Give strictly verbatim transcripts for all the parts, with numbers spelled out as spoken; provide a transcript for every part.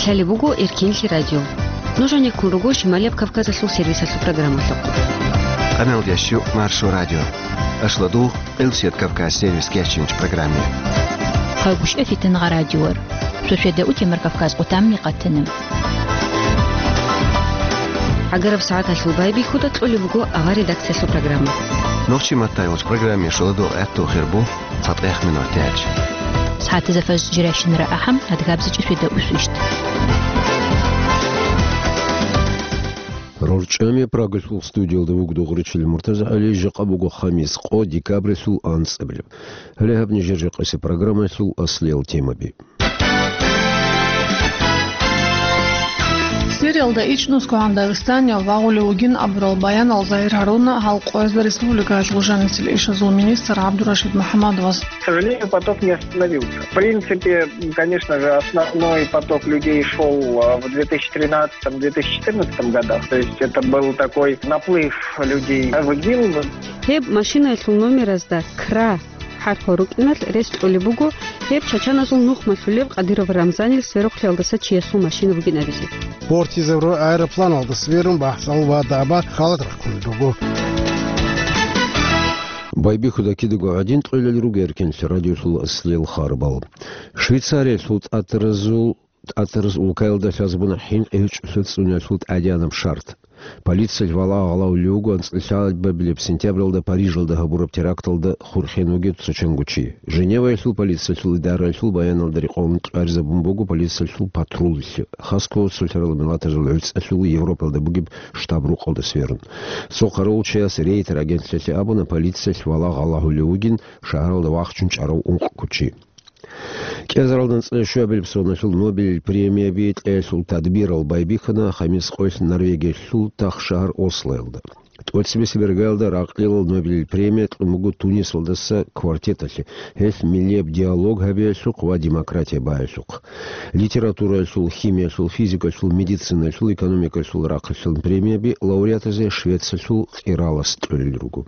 Гьале буго Эркинлъи радио. Нуж гӀенеккун руго Шималияб Кавказалъул сервисалъул программалъухъ. Къамел ящу Маршо радио. Ашладу Элсет Кавказ сервис кечинч программе. Хъагуш эфитан радиор. Суседа утемар Кавказ къутамни къатана. ГӀагараб сагӀаталъул байбихьуда кьолеб буго авар редакциялъул программа. Нохчи маттайолч программе шуладу гӀатту хирбу. Фатех минутач. СагӀатазда фажр жирайщинара ахӀам, адгабзичӀи светда усвищт. РорчӀами Прагалъул студиялда вугдугъричил МуртазагӀали, жакъа буго хамис къо декабрилъул анцӀабилеб. Гьале гьаб нижер жакъасе программалъул аслиял темаби. Сириялда ичӀнусгогӀан Дагъистанияв вагъулев вугин абурал баянал Загьир Гьаруна гьал къоязда республикаялъул жанисел ишазул министр ГӀабдурашид МухӀаммадовас. К сожалению, поток не остановился. В принципе, конечно же, основной поток людей шел, а, в две тысячи тринадцатом, две тысячи четырнадцатом годах. То есть это был такой наплыв людей в ИГИЛ. Гьеб машинаялъул номеразда Кра хӀарпал рукӀиналъ рес кьолеб буго гьеб чачаназул нухмалъулеб Къадиров Рамзанил сверухълъиялдаса чиясул машина бугин абизе. Портизавро аэропланалда сверун бахӀсал ва даба халат рахъун руго. Байбихьуда кидаго гӀадин кьолел руго Эркинлъи радиолъул аслиял харбал. Швейцариялъул тӀатаразул ТӀатараз улкаялда лъазабуна хӀинкъи гьечӀолъа цӀуниялъул тӀадегӀанаб шартӀ. Полициялъ валагьа гъалавулев вуго анцӀила лъабабилеб сентябралда Парижалда гьабураб теракталда хурхен вугев цо чанго чи. Женеваялъул полициялъул идараялъул баяналда рекъон къарзабун буго полициялъул патруллъи, хасго цолъарал миллатазул гӀуцӀалъул Европалда бугеб штаб-рукъалда сверун. Цо къаравулчияс Рейтер агентлъиялъе абуна, полициялъ валагьа гъалавулев вугин шагьаралда вахчун чӀарав ункъго чи. КӀиазаралда анцӀила щуабилеб соналъул Нобелил премияби кьеялъул тадбирал байбихьана хамис къоялъ Норвегиялъул тахшагьар Ослоялда. ТӀоцебесеб иргаялда ракълилал Нобелил премия кьун буго Тунисалдаса квартеталъе, гьелъ миллияб диалог гьабиялъухъ ва демократия баялъухъ. Литератураялъул, химиялъул, физикалъул, медицинаялъул, экономикалъул рахъалъан премияби лауреатазе Швециялъул къиралас кьолел руго.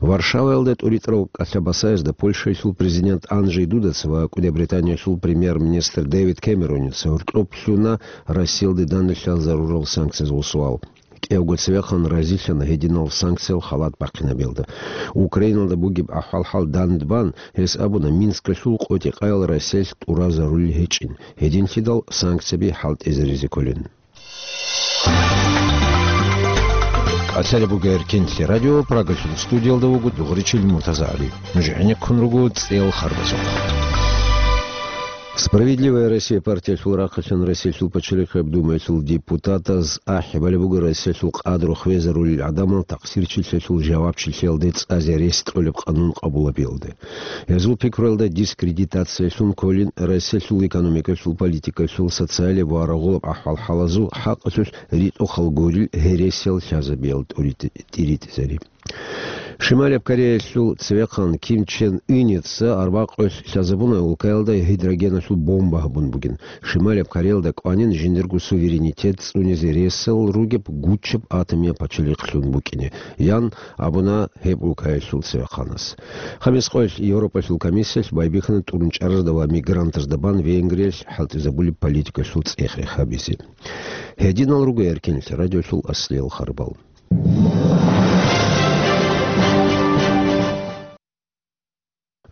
Варшаваялда тӀуритӀарал кӀалъа-басаязда Польшаялъул президент Анджей Дудаца ва КӀуди Британиялъул премьер-министр Дэвид Кэмероница гьоркьоб лъуна Россиялде данделъал зарурал санкциязул суал. КӀиявго цевехъан разилъана гьединал санкциял халат бахъинабиялда. Украиналда бугеб ахӀвал-хӀал дандбан, гьес абуна, Минскалъул къотӀи-къаял Россиялъ тӀура зарулел гьечӀин, гьединлъидал санкцияби хӀалтӀизаризе кколин. Къацалеб буго Эркинлъи радио, Прагалъул студиялда вуго Дугъричил МуртазагӀали. Нуж гӀенеккун руго цӀел харбазухъ. «Справедливая Россия» партиялъул рахъалъан Россиялъул пачалихъияб Думаялъул депутатаз ахӀи балеб буго Россиялъул къадру хвезарулел гӀадамал такъсирчилъиялъул жавабчилъиялде цӀазе рес кьолеб къанун къабулабиялде. Гьезул пикруялда дискредитациялъун кколин Россиялъул экономикалъул, политикалъул, социалияб ва рагъулаб ахӀвал-хӀалазул хӀакъалъулъ ритӀухъал гурил гьересиял лъазабиял тӀуритӀ-, тӀиритӀизари. Шималияб Кореялъул цевехъан Ким Чен Ыница арбакъоялъ лъазабуна улкаялда гидрогеналъул бомба гьабун бугин. Шималияб Кореялда кӀванин жиндирго суверенитет цӀунизе ресал ругеб гучаб атомияб пачалихълъун букӀине, ян абуна гьеб улкаялъул цевехъанас. Хамис къоялъ Европалъул комиссиялъ байбихьана тӀурун чӀаразда ва мигрантазда бан Венгриялъ хӀалтӀизабулеб политикалъул цӀех-рех гьабизе. Гьединал руго Эркинлъи радиолъул аслиял харбал.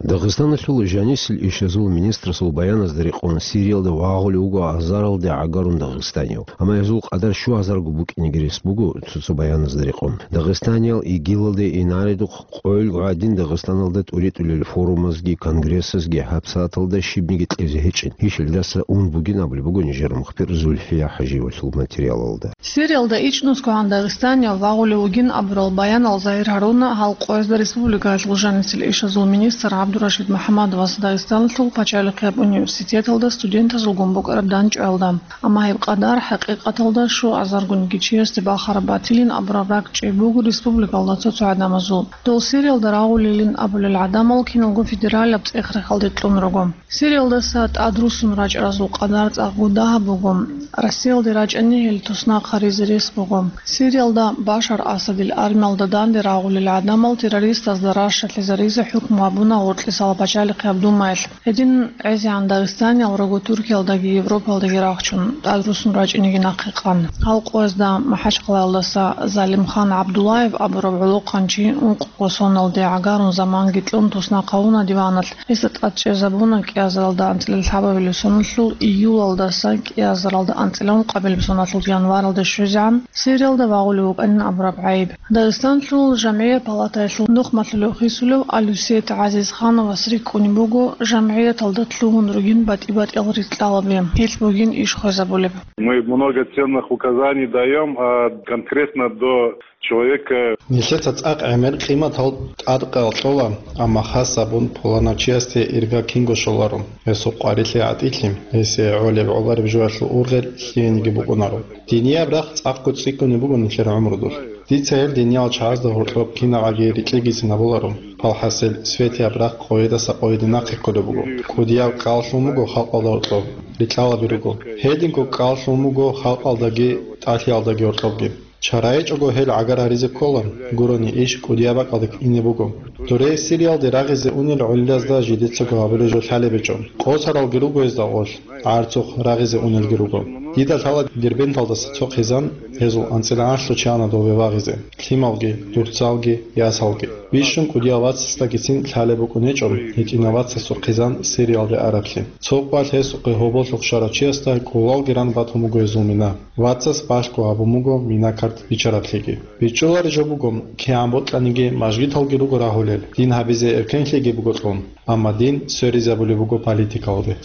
Дагъистаналъул жанисел ишазул министрасул баяназда рекъон Сириялда вагъулев вуго азаралде гӀагарун дагъистанияв. Амма гьезул къадар щуазарго букӀинеги рес буго цо-цо баяназда рекъон. Дагъистаниял ИГИЛалде инаредухъ къоялго гӀадин Дагъистаналда тӀуритӀулел форумазги конгрессазги гьабсагӀаталда щибниги кьезе гьечӀин. Гьелдаса ун бугин абулеб буго нижер мухбир Зульфия ХӀажиевалъул материалалда. Сириялда ичӀнусгогӀан Дагъистанияв вагъулев вугин абурал баянал Загьир Гьаруна гьал къоязда республикаялъул жанисел ишазул министр ГӀабдурашид МухӀаммадовас Дагъистаналъул пачалихъияб университеталда студентазулгун букӀараб дандчӀваялда. Амма гьеб къадар хӀакъикъаталда щуазаргунги чиясде бахараб батилин абураб ракӀчӀей буго республикалда цо-цо гӀадамазул. Дол Сириялда рагъулилин абулел гӀадамал киналго федералаб цӀех-рехалде кьун руго. Сириялдаса тӀадрусун рачӀаразул къадар цӀакъго дагьаб буго. Россиялде рачӀани гьел туснахъ гьаризе рес буго. Сириялда Башар Асадил армиялда данде рагъулел гӀадамал террористазда ращалъизаризе хӀукму гьабуна гъоркь Исала пачалихъе гьаб Думаялъ. Гьедин гӀезегӀан дагъистаниял руго Туркиялдаги Европаялдаги рахчун, тӀад руссун рачӀинеги нахъе къан. Гьал къоязда МахӀачхъалаялдаса Залимхан ГӀабдуллаев абураб гӀолохъанчи ункъго соналде гӀагарун заманги кьун туснахъ гьавуна диваналъ. Гьесда тӀад чӀезабуна кӀиазаралда анцӀила лъабабилеб соналъул июлалдаса кӀиазаралда анцӀила ункъабилеб соналъул январалде щвезегӀан Сириялда вагъулев вукӀанин абураб гӀайиб. Дагъистанлъул жамгӀият палатаялъул нухмалъулев хисулев Алюсет ГӀазизхановас рикӀкӀунеб буго жамгӀияталда лъугьун ругин батӀи-батӀиял рикьалаби, гьелъ бугин иш хвезабулеб. Мы много ценных указаний даём, а конкретно до человека. Нилъеца цӀакъ гӀемер къиматал тӀадкъал кьола, амма хас абун пуланав чиясде ирга кинго щоларо, гьесул къварилъи гӀатӀилъи, гьесие гӀолеб гӀолареб жоялъул ургъел лъиениги букӀунаро. Динияб рахъ цӀакъго цӀикӀкӀунеб буго нилъер гӀумрудулъ. Дица гьел диниял чагӀазда гьоркьоб кинабгӀаги рикьигицин гьабуларо. Палхасел светияб рахъ къойидаса къойиде нахъе кколеб буго. КӀудияб кӀалалъун буго халкъалда гьоркьоб, рикьалаби руго. Гьединго кӀалалъун буго халкъалдаги тӀалъиялдаги гьоркьобги. Чара гьечӀого гьел гӀагар гьаризе ккола, гурони иш кӀудияб бакӀалде ине буго. Дуре Сириялде рагъизе унел гӀолилазда жидецаго гьабулеб жо лъалеб гьечӀо. Къосаралги руго гьезда гъолъ, гӀарцухъ рагъизе унелги руго. Дида лъала Дербенталдаса цо хъизан, гьезул анцӀила анлъго чанадулбе вагъизе, лъималги, дурцалги, ясалги. Бищун кӀудияв вацасдагицин лъалеб букӀун гьечӀо гьитӀинав вацасул хъизан Сириялде араблъи. Цо къвалъ гьесухъе гьоболлъухъ щварав чиясда кӀулалги ран батун буго гьезул мина. Вацас балъго гьабун буго мина-карт бичараблъиги. БичӀчӀулареб жо буго, кигӀан бокьаниги мажгиталги руго рагьулел, дин гьабизе эркенлъиги буго кьун, амма дин сверизабулеб буго политикалде.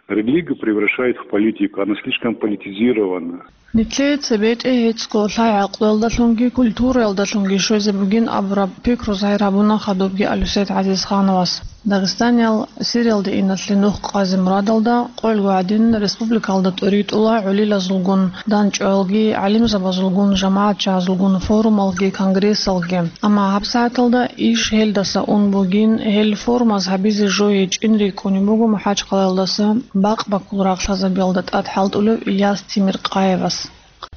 Религию превращает в политику, она слишком политизирована. Нилъее цебетӀе гьецӀго лъай-гӀакълуялдалъунги культураялдалъунги щвезе бугин абураб пикру загьир гьабуна хадубги Алюсет ГӀазизхановас. Дагъистаниял Сириялде иналъе нух къазе мурадалда, къоялъго гӀадин, республикалда тӀоритӀула гӀолилазулгун, дандчӀваялги, гӀалимзабазулгун, жамагӀатчагьазулгун форумалги, конгрессалги. Амма гьабсагӀаталда иш гьелдаса ун бугин, гьел форумаз гьабизе жо гьечӀин рикӀкӀунеб буго МахӀачхъалаялдаса бакъ-баккул рагълъазабиялда тӀад хӀалтӀулев Ильяс Темиркъаевас.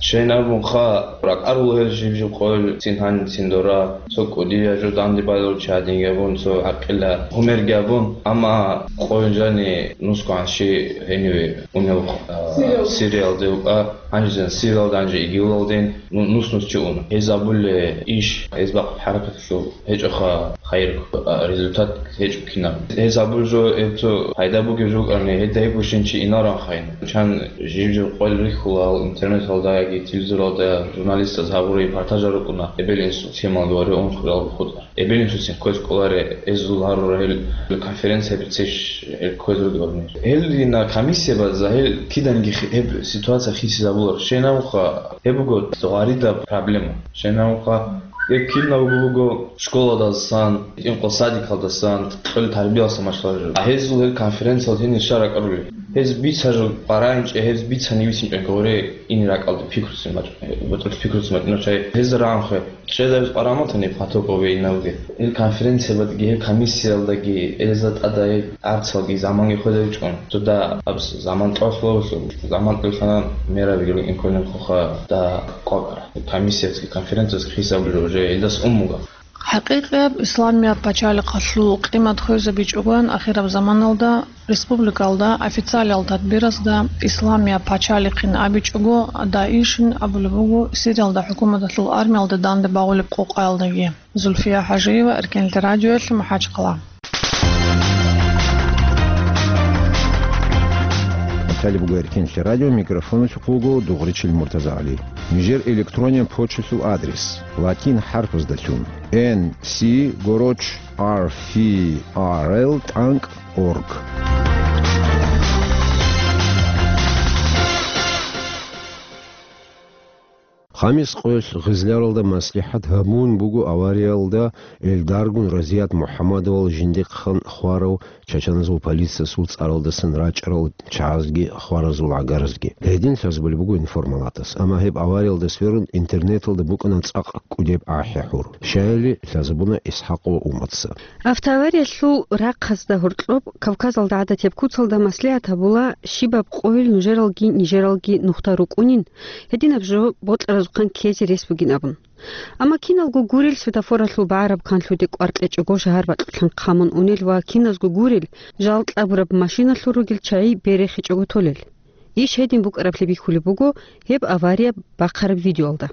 Щайин абунха, ракӀарул гьел жиб-жиб къойил цин гьаниб цин дора, цо кӀудияв жо данде балев чи гьадин гьабун, цо гӀакъила гьумерги гьабун, амма къойил жани нусгоан щи гьениве унев, а, Сириялде. Сириялде вукӀа, гьанже Сириялда, гьанже ИГИЛалден ну-, нус-нус чи уна. Гьез абулеб иш, гьез бахъ хӀаракаталъул гьечӀоха хайир, а, результат гьечӀо кинаб. Гьез абулеб жо, гьеб цо пайда бугеб жо букӀани, гьедин гьеб бищун чи инаран хайин. Чан жиб-жиб къойил рихьула гьал интернеталда яги телевизоралда журналистаз гьабураб репортажал рукӀуна, эбел-инсул темалги ва ункъоялги хутӀа. Эбел-инсуцин кквез кӀоларе, гьезул гьарурал гьел конференция бицеш, гьел кквез ругел гьел. Гьел дина комиссия база, гьел киданги хи-, гьеб ситуация хисизабулар. Щайин абунха, гьеб буго гъарида проблема. Щайин абунха, гьеб кинабго буго школадасан, инкъо садикалдасан, кьол тарбиялдасан машгьула жо. А гьезул гьел конференциялда гьенир щай ракӀарулел? Гьез бицараб къарагӀинчӀеб, гьез бицани бицинчӀеб гъоре ине ракӀалде пикруцин мачӀ-, ботӀролъ пикруцин мачӀунав чай. Гьез рагӀанхъе. Чеда гьез къараматани патокъо вейнавги. Гьел конференциябадги, гьел комиссиялдаги, гьезда тӀада гьел арцалги заманги хвезавичӀун. Цо да абс заман тӀолъулавулъул, заман тӀолъана мераби гьел инколин хъуха да къвакӀара. Комиссиязги конференциязги хисабулел уже гьелдас уммуга. ХӀакъикъияб исламияб пачалихъалъул къимат хвезабичӀогоян ахираб заманалда республикалда официалиял тадбирасда исламияб пачалихъин абичӀого, ДАИШ-ин абулеб буго Сириялда хӀукуматалъул армиялда данде багъулеб къокъаялдаги. Зульфия ХӀажиева, Эркенлъи радиоялъ, МахӀачхъала. Баталияб буго Эркенлъи радио, микрофоналъухъ вуго Дугъричил МуртазагӀали. Нижер электрониян почталъул адрес: латин хӀарпаздалъун, N C гороч R F R L тӀанкӀ org. Хамис къоялъ Гъизляралда маслихӀат гьабун буго авариялда элдаргун Разият МухӀаммадовал жиндихъан хварав чачаназул полициясул цӀаралдасан рачӀарал чагӀазги хваразул гӀагаразги. Гьедин лъазабулеб буго Информалатас. Амма гьеб авариялда сверун интернеталда букӀана цӀакъ кӀудеб ахӀи-хӀур. Щаяли лъазабуна ИсхӀакъова Уматса. Автоавариялъул рахъазда гьоркьоб Кавказалда гӀадатияб куцалда маслигӀат гьабула щибаб къойил нужералги нижералги нухда рукӀунин, гьединаб жо бокьаразухъан ккезе рес бугин абун. Амма киналго гурел светофоралъул багӀараб канлъуде кӀвар кьечӀого шагьар бакьулъан хъамун унел ва киназго гурел жал кьабураб машиналъул ругел чагӀи берехичӀого толел. Иш гьедин букӀараблъи бихьулеб буго гьеб авария бахъараб видеоялда.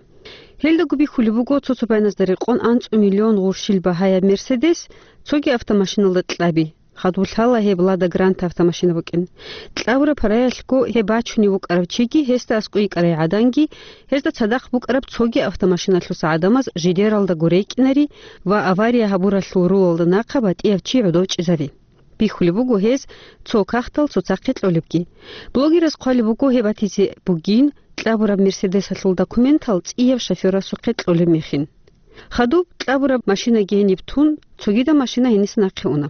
Гьелдаго бихьулеб буго цо-цо байназда рекъон анцӀу миллион гъурщил багьаяб Мерседес цоги автомашиналда кьаби. Хадуб лъала гьеб Лада Гранта автомашина букӀин. Кьабураб параялъго гьеб бачунев вукӀарав чиги, гьесда аскӀой йикӀарай гӀаданги, гьезда цадахъ букӀараб цоги автомашиналъуса гӀадамаз жидералдаго рекӀинари ва авария гьабуралъул рулалда нахъа батӀияб чи гӀодов чӀезари. Бихьулеб буго гьез цо кагътал цоцахъе кьолебги. Блогераз хъвалеб буго гьеб батизе бугин, кьабураб Мерседесалъул документал цӀияб шофёрасухъе кьолеб мехин. Хадуб кьабураб машинаги гьениб тун, цогидаб машина гьениса нахъе уна.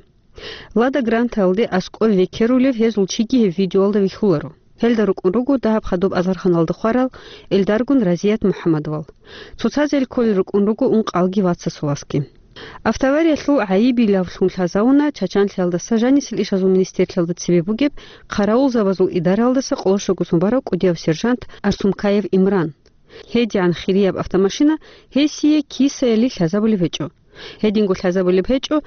Лада Грантаялде аскӀов векерулев гьезул чиги гьеб видеоялда вихьуларо. Гьелда рукӀун руго дагьаб хадуб азарханалда хварал Элдаргун Разият МухӀаммадовал. Цоцазел кколел рукӀун руго ункъалги вацасуласги. Автоавариялъул гӀайибилавлъун лъазавуна Чачанлъиялдаса жанисел ишазул министерлъиялда цебе бугеб хъаравулзабазул идараялдаса къоло щогосун барав кӀудияв сержант Арсумкаев Имран. ГьедигӀан хирияб автомашина гьесие кисаялъ лъазабулеб гьечӀо. Гьединго лъазабулеб гьечӀо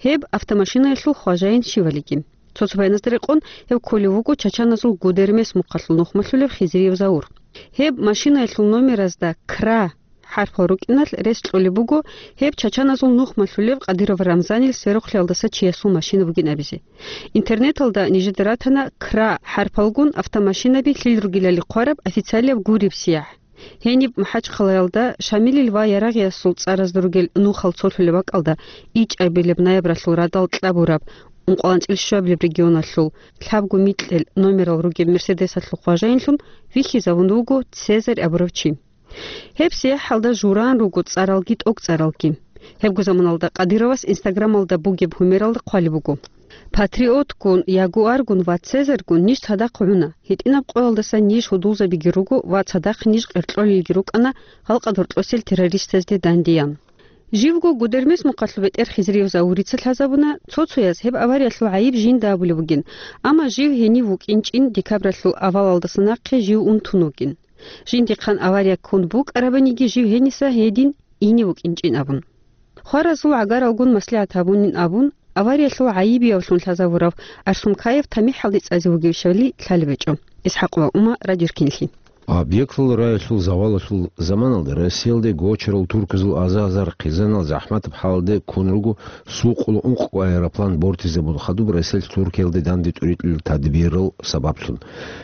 гьеб автомашинаялъул хважаин щивалиги. Цо-цо байназда рекъон гьев кколев вуго чачаназул Гудермес мухъалъул нухмалъулев Хизриев Заур. Гьеб машинаялъул номеразда Кра хӀарпал рукӀиналъ рес кьолеб буго гьеб чачаназул нухмалъулев Къадиров Рамзанил сверухълъиялдаса чиясул машина бугин абизе. Интернеталда нижеда ратана Кра хӀарпалгун автомашинаби лъил ругелали хъвараб официалияб гуреб сияхӀ. Гьениб МахӀачхъалаялда Шамилил ва Ярагъиясул цӀаразда ругел нухал цолъулеб бакӀалда ичӀабилеб ноябралъул радал кьабураб ункъоялда анцӀила щуабилеб регионалъул лъабго микьил номерал ругеб Мерседесалъул хважаинлъун вихьизавун вуго Цезарь абурав чи. Гьеб сияхӀалда жураан руго цӀаралги тӀокӀцӀаралги. Гьебго заманалда Къадировас Инстаграмалда бугеб гьумералда хъвалеб буго: «Патриотгун, Ягуаргун ва Цезарьгун ниж цадахъ гӀуна. ГьитӀинаб къоялдаса ниж гьудулзабиги руго ва цадахъ ниж къеркьолелги рукӀана гьал къадру кьосел террористазде дандеян». Живго Гудермес мухъалъул бетӀер Хизриев Заурица лъазабуна, цо-цояз гьеб авариялъул гӀайиб жинда абулеб бугин, амма жив гьенив вукӀинчӀин декабралъул авалалдаса нахъе жив унтун вугин. Жиндихъан авария ккун букӀарабаниги жив гьениса гьедин ине вукӀинчӀин абун. Хваразул гӀагаралгун маслигӀат гьабунин абун, авариялъул гӀайибиявлъун лъазавурав Арсумкаев тамихӀалде цӀазе вугевищали лъалеб гьечӀо. ИсхӀакъ ва Ума, Радио Ркинлъи. Объектал раялъул завалалъул заманалда Россиялде гочарал турказул аза-азар хъизанал захӀматаб хӀалде ккун руго сукъул ункъго аэроплан бортизабун хадуб Россиялъ Туркиялде данде тӀуритӀулел тадбирал сабаблъун.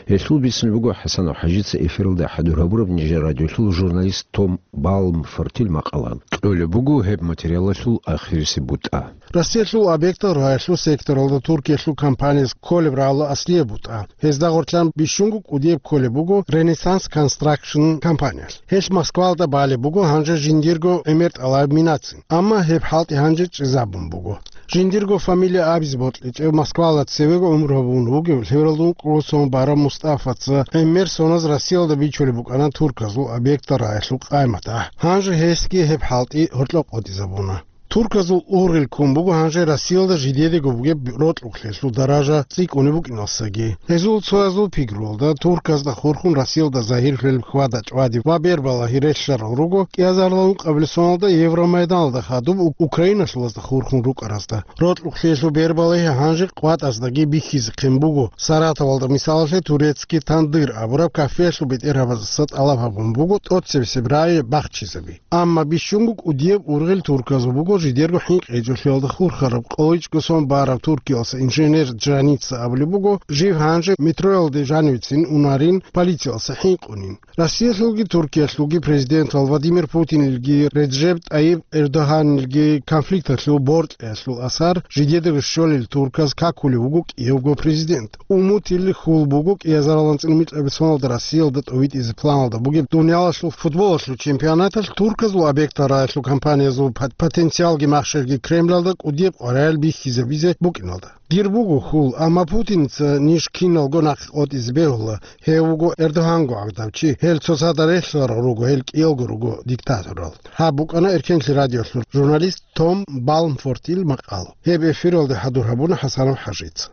Гьелъул бицине буго ХӀасанов ХӀажица эфиралда хӀадур гьабураб нижер радиолъул журналист Том Балмфортил макъала. Кьолеб буго гьеб материалалъул ахирисеб бутӀа. Россиялъул объектал раялъул секторалда Туркиялъул компанияс кколеб рагӀула аслияб бутӀа. Гьезда гъорлъан бищунго кӀудияб кколеб буго Renaissance Construction компаниялъ. Гьелъ Москвалда балеб буго гьанже жиндирго гӀемер тӀалаб минацин, амма гьеб хӀалтӀи гьанже чӀезабун буго. Жиндирго фамилия абизе бокьичӀев, Москвалда цевего гӀумру гьабун вугев лъебералда ункъо сон барав Мустафаца гӀемер соназ Россиялда бичулеб букӀана турказул объектал раялъул къайматахӀ. Гьанже гьесги гьеб хӀалтӀи гьоркьоб къотӀизабуна. Турказул ургъел ккун буго гьанже Россиялда жидедаго бугеб рокьукълъиялъул даража цӀикӀкӀунеб букӀиналдасаги. Гьезул цоязул пикруялда, турказда хурхун Россиялда загьирлъулеб хьвада-чӀвади ва бербалагьи релълъарал руго кӀиазарилан ункъабилеб соналда Евромайданалда хадуб У-, Украиналъулазда хурхун рукӀаразда. Рокьукълъиялъул бербалагьи гьанже къватӀаздаги бихьизехъин буго. Саратовалда, мисалалъе, «Турецкий тандыр» абураб кафеялъул бетӀергьабаздаса тӀалаб гьабун буго тӀоцебесеб рагӀи бахчизаби. Амма бищунго кӀудияб ургъел турказул буго жидерго хӀинкъи гьечӀолъиялда хурхараб, къоло ичӀго сон бараб Туркиялдаса инженер Джаница абулеб буго, жив гьанже метроялде жанивецин унарин, полициялдаса хӀинкъунин. Россиялъулги Туркиялъулги президентал Владимир Путинилги Реджеп ТӀайиб Эрдогьанилги конфликталъул боркьиялъул асар жидедаго щолел турказ какулев вуго кӀиявго президент. Умутил хьул буго кӀиазарилан анцӀила микьабилеб соналда Россиялда тӀовитӀизе планалда бугеб дуниялалъул футболалъул чемпионаталъ турказул объектал раялъул компаниязул пот-, потенциалги махщелги Кремлалда кӀудияб къваригӀел бихьизабизе букӀиналда. Дир буго хьул, амма Путинца ниж киналго нахъе къотӀизе бегьула, гьев вуго Эрдогьанго гӀадав чи, гьел цоцазда релълъарал руго, гьел кӀиялго руго диктаторал. Гьаб букӀана Эркенлъи радиолъул журналист Том Балмфортил макъал. Гьеб эфиралде хӀадур гьабуна ХӀасанов ХӀажица.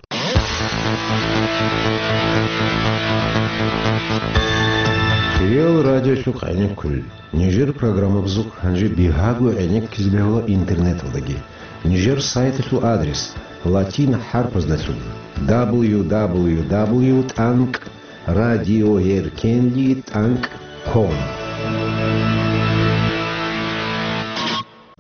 Кирилл радиолъухъ гӀенеккулел. Нижер программабазухъ гьанже бигьаго гӀенеккизе бегьула интернеталдаги. Нижер сайталъул адрес латин хӀарпаздалъун: дабл ю дабл ю дабл ю тӀанкӀ радиоеркенли тӀанкӀ ком.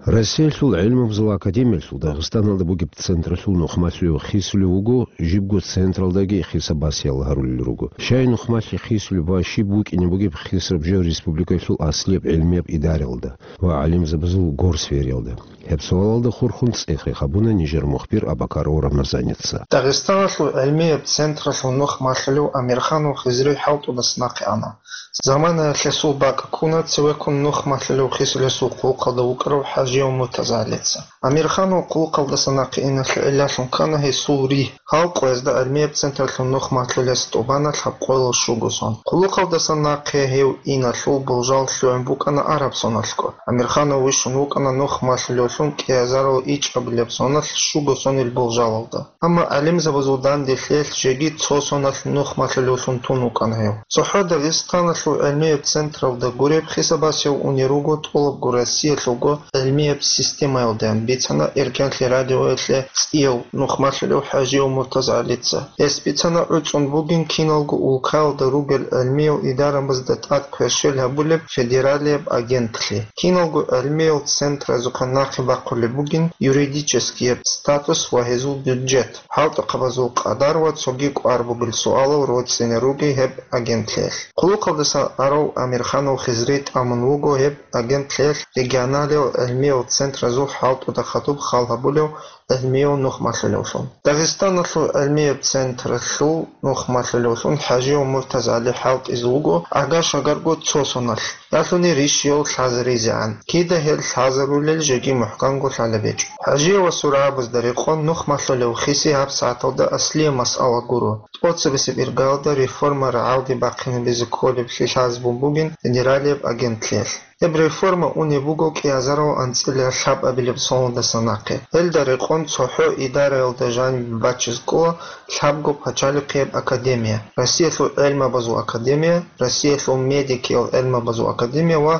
Россиялъул гӀелмабазул академиялъул Дагъистаналда бугеб централъул нухмалъулев хисулев вуго, жибго централдаги хисабасиял гьарулел руго. Щай нухмалъи хисулеб ва щиб букӀине бугеб хисаб жо республикаялъул аслияб гӀелмияб идараялда ва гӀалимзабазул горсфериялда? Гьеб суалалда хурхун цӀех-рех гьабуна нижер мухбир Абакаров Рамазаница. Дагъистаналъул гӀелмияб централъул нухмалъулев Амирханов Хизри хӀалтӀудаса нахъе ана. Заманаялъ гьесул бакӀ ккуна цевеккун нухмалъулев хисулесул хъулухъалда вукӀарав ХӀажияв МуртазагӀалица. Амирханов хъулухъалдаса нахъе иналъе гӀиллалъун ккана гьесул ригь, гьал къоязда гӀелмияб централъул нухмалъулес тӀубана лъабкъоялда щуго сон. Хъулухъалдаса нахъе гьев иналъул болжал лъугӀун букӀана араб соналъго. Амирханов вищун вукӀана нухмалъулевлъун кӀиазарал ичӀабилеб соналъ щуго сонил болжалалда. Амма гӀалимзабазул данделъиялъ жеги цо соналъ нухмалъулевлъун тун вукӀана гьев. ЦохӀо Дагъистаналъул гӀелмияб централда гуреб хисабасияв унел руго тӀолабго Россиялъулго гӀелмияб системаялдаян, бицана Эркенлъи радиоялъе цӀияв нухмалъулев ХӀажияв МуртазагӀалица. Гьес бицана гӀуцӀун бугин киналго улкаялда ругел гӀелмиял идарамазда тӀад кверщел гьабулеб федералияб агентлъи. Киналго гӀелмиял центразухъан нахъе бахъулеб бугин юридическияб статус ва гьезул бюджет, хӀалтӀухъабазул къадар ва цоги кӀвар бугел суалал роцӀцӀине ругел гьеб агентлъиялъ. Хъулухъалдаса арав Амирханов Хизри тӀамун вуго гьеб агентлъиялъ регионалиял гӀелмиял центразул хӀалтӀуда хадуб хал гьабулев гӀелмияв нухмалъулевлъун. Дагъистаналъул гӀелмияб централъул нухмалъулевлъун ХӀажияв МуртазагӀали хӀалтӀизе вуго агар-шагарго цо соналъ, ялъуни рищияв лъазаризегӀан, кида гьел лъазарулел жеги мухӀканго лъалеб гьечӀо. ХӀажиявасул рагӀабазда рекъон нухмалъулев хиси гьабсагӀаталда аслияб масъала гуро, тӀоцебесеб иргаялда реформа рагӀалде бахъинабизе кколеблъи лъазабун бугин федералияб агентлъиялъ. Гьеб реформа унеб буго кӀиазарал анцӀила лъабабилеб соналдаса нахъе. Гьелда рекъон цохӀо идараялда жанибе бачиз ккола лъабго пачалихъияб академия: Россиялъул гӀелмабазул академия, Россиялъул медикиял гӀелмабазул академия ва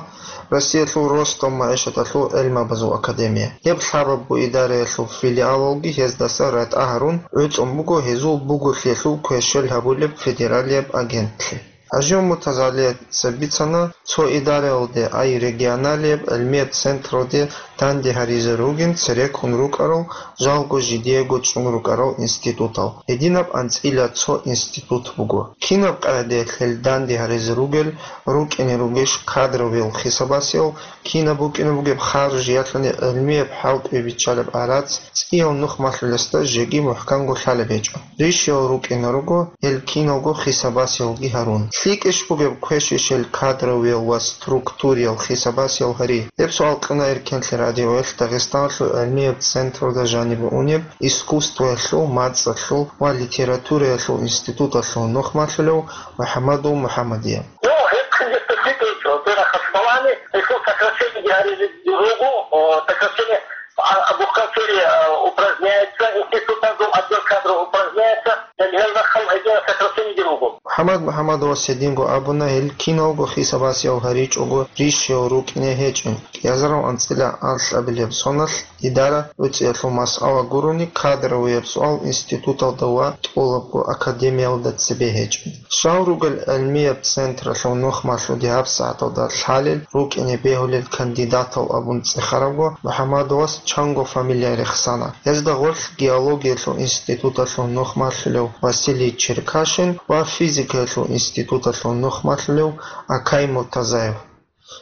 Россиялъул ростов магӀишаталъул гӀелмабазул академия. Гьеб лъабабго идараялъул филиалалги гьездаса ратӀа гьарун гӀуцӀун буго гьезул буголъиялъул кверщел гьабулеб федералияб агентлъи. ХӀажияв МуртазагӀалица бицана, цо идараялде, ай регионалияб гӀелмияб централде данде гьаризе ругин цереккун рукӀарал, жалго жидеего чӀун рукӀарал институтал. Гьединаб анцӀила цо институт буго. Кинаб къагӀидаялъ гьел данде гьаризе ругел, рукӀине ругищ кадровиял хисабасиял, кинаб букӀине бугеб харж, ялъуни гӀелмияб хӀалтӀуе биччалеб гӀарац, цӀияв нухмалъулесда жеги мухӀканго лъалеб гьечӀо. Рищиял рукӀине руго гьел киналго хисабасиялги гьарун. ЛъикӀищ бугеб квешищ гьел кадровиял ва структуриял хисабасиял гьари? Гьеб суал кьуна Эркенлъи радиоялъ Дагъистаналъул гӀелмияб централда жанибе унеб искусствоялъул, мацӀалъул ва литератураялъул институталъул нухмалъулев МухӀаммадов МухӀаммадие. Ну, гьеб хъизеца битӀичӀо, бера хасбалани, гьелъул сокращениеги гьаризе руго, о, сокращение, а, бухгалтерия, а, упраздняется, институтазул отдел кадров упраздняется, гьел, гьел рахъал гьединаб сокращениеги руго. МухӀаммад МухӀаммадовас гьединго абуна, гьел киналго хисабасиял гьаричӀого рищиял рукӀине гьечӀин. КӀиазарав анцӀила анлъабилеб соналъ идара гӀуцӀиялъул масъала гурони, кадровияб суал институталда ва тӀолабго академиялда цебе гьечӀин. Щал ругел гӀелмияб централъул нухмалъулде гьабсагӀаталда лъалел рукӀине бегьулел кандидатал абун цӀехарабго, МухӀаммадовас чанго фамилия рехсана. Гьезда гъорлъ геологиялъул институталъул нухмалъулев Василий Черкашин ва физикаялъул институталъул нухмалъулев Акай Муртазаев.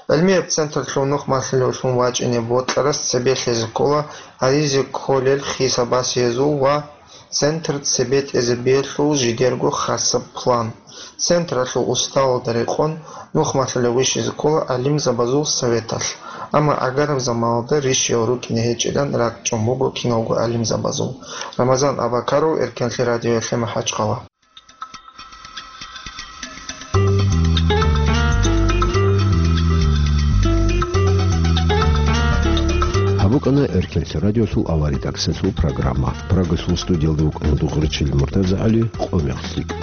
ГӀелмияб централъул нухмалъулевлъун вачӀине бокьарас цебе лъезе ккола гьаризе кколел хисабасиязул ва центр цебетӀезе биялъул жидерго хасаб план. Централъул уставалда рекъон нухмалъулев вищизе ккола гӀалимзабазул советалъ, амма гӀагараб заманалда рищиял рукӀине гьечӀилан ракӀчӀун буго киналго гӀалимзабазул. Рамазан Абакаров, Эркенлъи радиоялъе МахӀачхъала. Гьаб букӀана Эркенлъи радиолъул авария таксилъул программа. Прагалъул студиялда вукӀана Дугъричил МуртазагӀали, къо-мех лъикӀ.